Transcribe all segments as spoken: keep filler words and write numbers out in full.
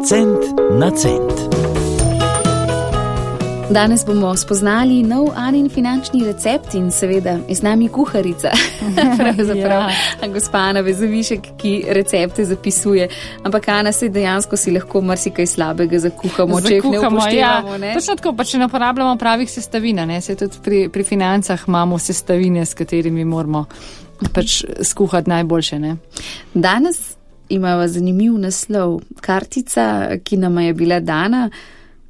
Cent na cent. Danes bomo spoznali nov Anin finančni recept in seveda je z nami kuharica. Pravzaprav ja. Gospa Ana Vezovišek, ki recepte zapisuje. Ampak Ana, se dejansko si lahko marsikaj slabega zakuhamo, če jih ne upoštevamo. Ja. Točno tako, pa če ne uporabljamo pravih sestavin, ne? Se tudi pri, pri financah imamo sestavine, s katerimi moramo pač skuhati najboljše. Ne? Danes imamo zanimiv naslov. Kartica, ki nama je bila dana,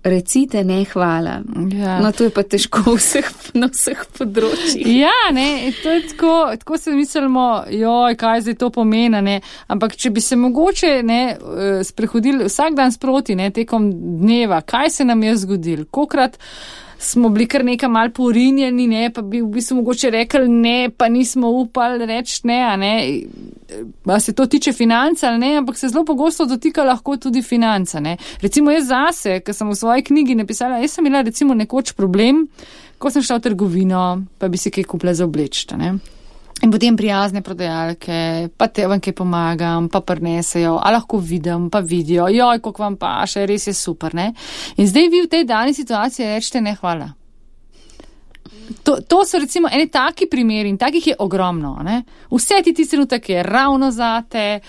recite ne hvala. Ja. No, to je pa težko vseh, na vseh področjih. Ja, ne, to je tako, tako se mislimo, joj, kaj zdaj to pomeni, ne, ampak če bi se mogoče, ne, sprehodili vsak dan sproti, ne, tekom dneva, kaj se nam je zgodilo, kolikrat smo bili kar nekaj mal porinjeni, ne, pa bi v bistvu mogoče rekli ne, pa nismo upali reči ne, a ne, pa se to tiče financa ali ne, ampak se zelo pogosto dotika lahko tudi financa, ne. Recimo jaz zase, ker sem v svoji knjigi napisala, jaz sem imela recimo nekoč problem, ko sem šla v trgovino, pa bi si kaj kupila za oblečta, ne. In potem prijazne prodajalke, pa te vam kaj pomagam, pa prinesejo, a lahko vidim, pa vidijo, joj, koliko vam paše, res je super, ne. In zdaj vi v tej dani situaciji rečete ne hvala. To, to so recimo eni taki primeri in takih je ogromno, ne. Vse ti tisti trenutek je ravno zate,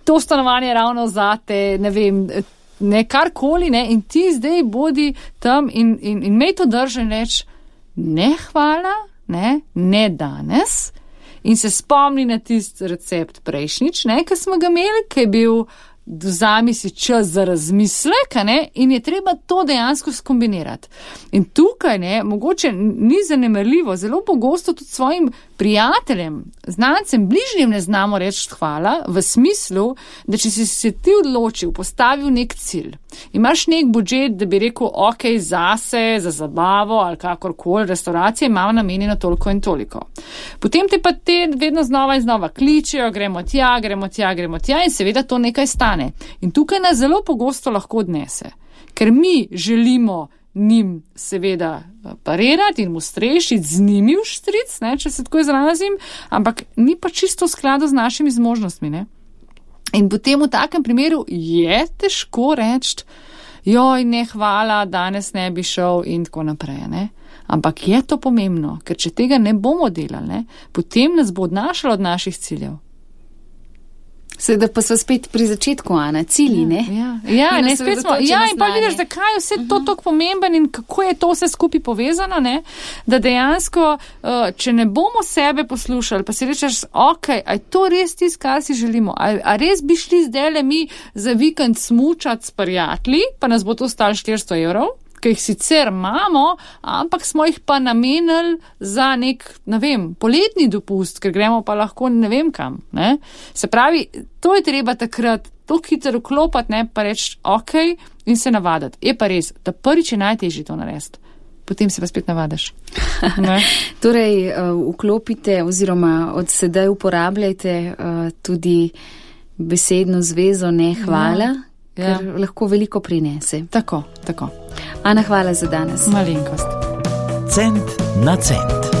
to stanovanje je ravno zate, ne vem, ne karkoli, ne, in ti zdaj bodi tam in, in, in mej to drži in reč ne hvala, ne, ne danes. In se spomni na tisti recept prejšnjič, ne, ki smo ga imeli, ki je bil vzami si čas za razmislek, ne, in je treba to dejansko skombinirati. In tukaj, ne, mogoče ni zanemarljivo, zelo pogosto tudi svojim prijateljem, znancem, bližnjim ne znamo reči hvala, v smislu, da če si se ti odločil, postavil nek cilj, imaš nek budžet, da bi rekel, ok, zase, za zabavo ali kakorkoli, restauracije imamo namenjeno toliko in toliko. Potem te pa te vedno znova in znova kličejo, gremo tja, gremo tja, gremo tja in seveda to nekaj stane. In tukaj nas zelo pogosto lahko odnese, ker mi želimo njim seveda parirati in mu strešiti, z njimi v štric, ne, če se tako izrazim, ampak ni pa čisto v skladu z našimi zmožnostmi, ne. In potem v takem primeru je težko reči, joj, ne hvala, danes ne bi šel in tako naprej, ne. Ampak je to pomembno, ker če tega ne bomo delali, ne, potem nas bo odnašalo od naših ciljev. Seveda pa so spet pri začetku, Ana, cilji, ne? Ja, ja, ja ne, spet smo, ja, in pa vidiš, zakaj je vse to tako pomemben in kako je to vse skupaj povezano, ne, da dejansko, če ne bomo sebe poslušali, pa si rečeš, ok, a je to res tisto, kar si želimo, a, a res bi šli zdajle mi za vikend smučati s prijatelji, pa nas bo to stalo štiristo evrov, ki jih sicer imamo, ampak smo jih pa namenili za nek, ne vem, poletni dopust, ker gremo pa lahko ne vem kam, ne. Se pravi, to je treba takrat toliko hitro vklopati, ne, pa reči ok in se navadati. Je pa res, da prvič je najtežje to narediti. Potem se pa spet navadaš. Torej, uh, vklopite oziroma od sedaj uporabljajte uh, tudi besedno zvezo ne hvala, ja. Ker ja. Lahko veliko prinese. Tako, tako. Ana, hvala za danes. Malenkost. Cent na cent.